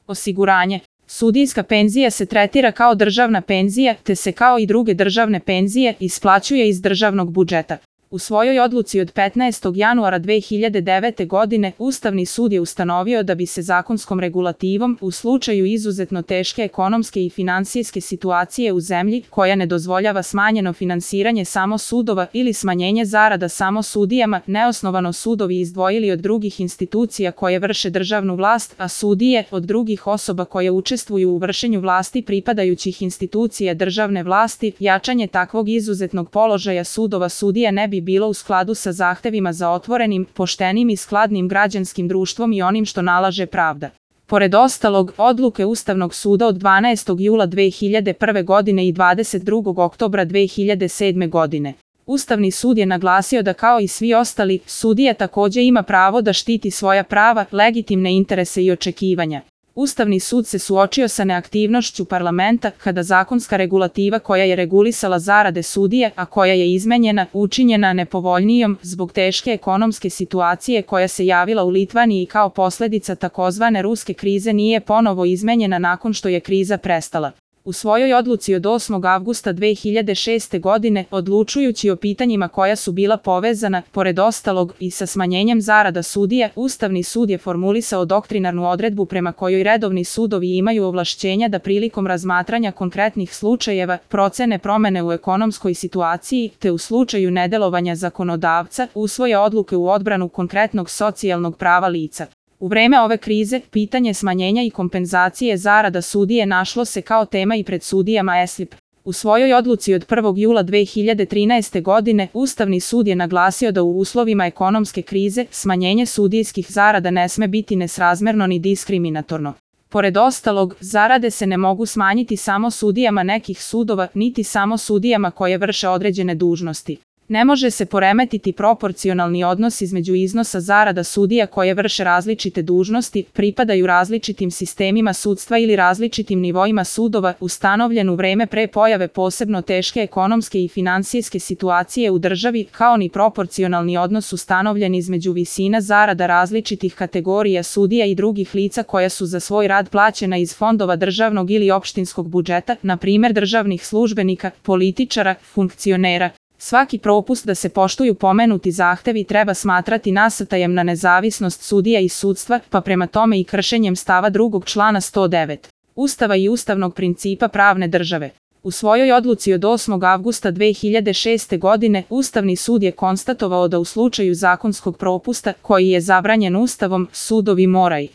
Osiguranje. Sudijska penzija se tretira kao državna penzija, te se kao i druge državne penzije isplaćuje iz državnog budžeta. U svojoj odluci od 15. januara 2009. godine Ustavni sud je ustanovio da bi se zakonskom regulativom u slučaju izuzetno teške ekonomske i finansijske situacije u zemlji koja ne dozvoljava smanjeno finansiranje samo sudova ili smanjenje zarada samo sudijama, neosnovano sudovi izdvojili od drugih institucija koje vrše državnu vlast, a sudije od drugih osoba koje učestvuju u vršenju vlasti pripadajućih institucija državne vlasti. Jačanje takvog izuzetnog položaja sudova sudija ne bi bilo u skladu sa zahtevima za otvorenim, poštenim i skladnim građanskim društvom i onim što nalaže pravda. Pored ostalog, odluke Ustavnog suda od 12. jula 2001. godine i 22. oktobra 2007. godine. Ustavni sud je naglasio da kao i svi ostali, sudija takođe ima pravo da štiti svoja prava, legitimne interese i očekivanja. Ustavni sud se suočio sa neaktivnošću parlamenta kada zakonska regulativa koja je regulisala zarade sudija, a koja je izmenjena, učinjena nepovoljnijom zbog teške ekonomske situacije koja se javila u Litvaniji kao posledica takozvane ruske krize nije ponovo izmenjena nakon što je kriza prestala. U svojoj odluci od 8. avgusta 2006. godine, odlučujući o pitanjima koja su bila povezana, pored ostalog, i sa smanjenjem zarada sudija, Ustavni sud je formulisao doktrinarnu odredbu prema kojoj redovni sudovi imaju ovlašćenja da prilikom razmatranja konkretnih slučajeva procene promene u ekonomskoj situaciji, te u slučaju nedelovanja zakonodavca, usvoje odluke u odbranu konkretnog socijalnog prava lica. U vreme ove krize, pitanje smanjenja i kompenzacije zarada sudije našlo se kao tema i pred sudijama ESLIP. U svojoj odluci od 1. jula 2013. godine, Ustavni sud je naglasio da u uslovima ekonomske krize smanjenje sudijskih zarada ne sme biti nesrazmerno ni diskriminatorno. Pored ostalog, zarade se ne mogu smanjiti samo sudijama nekih sudova, niti samo sudijama koje vrše određene dužnosti. Ne može se poremetiti proporcionalni odnos između iznosa zarada sudija koje vrše različite dužnosti, pripadaju različitim sistemima sudstva ili različitim nivoima sudova, ustanovljen u vreme pre pojave posebno teške ekonomske i finansijske situacije u državi, kao ni proporcionalni odnos ustanovljen između visina zarada različitih kategorija sudija i drugih lica koja su za svoj rad plaćena iz fondova državnog ili opštinskog budžeta, na primer državnih službenika, političara, funkcionera. Svaki propust da se poštuju pomenuti zahtevi treba smatrati nasrtajem na nezavisnost sudija i sudstva, pa prema tome i kršenjem stava 2. člana 109. Ustava i ustavnog principa pravne države. U svojoj odluci od 8. avgusta 2006. godine, Ustavni sud je konstatovao da u slučaju zakonskog propusta, koji je zabranjen Ustavom, sudovi moraju